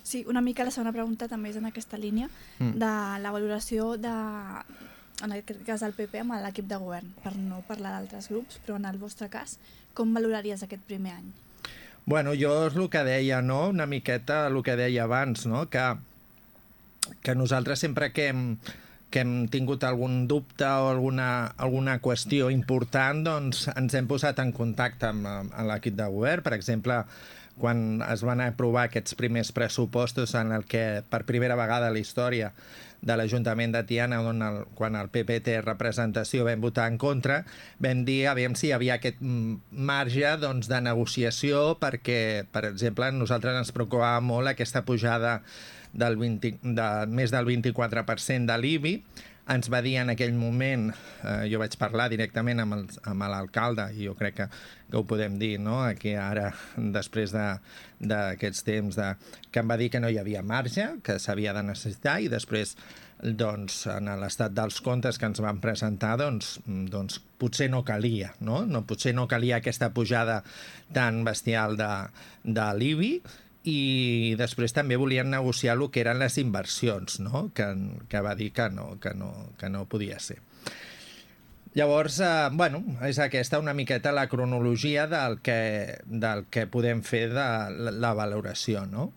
Sí, una mica la segona pregunta també és en aquesta línia de la valoració de, en aquest cas del PP amb l'equip de govern, per no parlar d'altres grups, però en el vostre cas, com valoraries aquest primer any? Bueno, jo és el que deia, no? Una miqueta el que deia abans, no? Que nosaltres sempre que hem tingut algun dubte o alguna qüestió important, doncs ens hem posat en contacte amb l'equip de govern. Per exemple, quan es van aprovar aquests primers pressupostos en el que per primera vegada a la història de l'Ajuntament de Tiana, quan el PP té representació, vam votar en contra, vam dir aviam si hi havia aquest marge doncs, de negociació perquè, per exemple, a nosaltres ens preocupava molt aquesta pujada de més del 24% de l'IBI. Ens va dir en aquell moment, jo vaig parlar directament amb l'alcalde, i jo crec que ho podem dir, no? Aquí ara, després d'aquests temps, que em va dir que no hi havia marge, que s'havia de necessitar, i després, doncs, en l'estat dels comptes que ens van presentar, doncs potser no calia, no? Potser no calia aquesta pujada tan bestial de l'IBI, i després també volien negociar el que eren les inversions, no? Que va dir que no podia ser. Llavors, bueno, és aquesta una miqueta la cronologia del que podem fer de la valoració, no?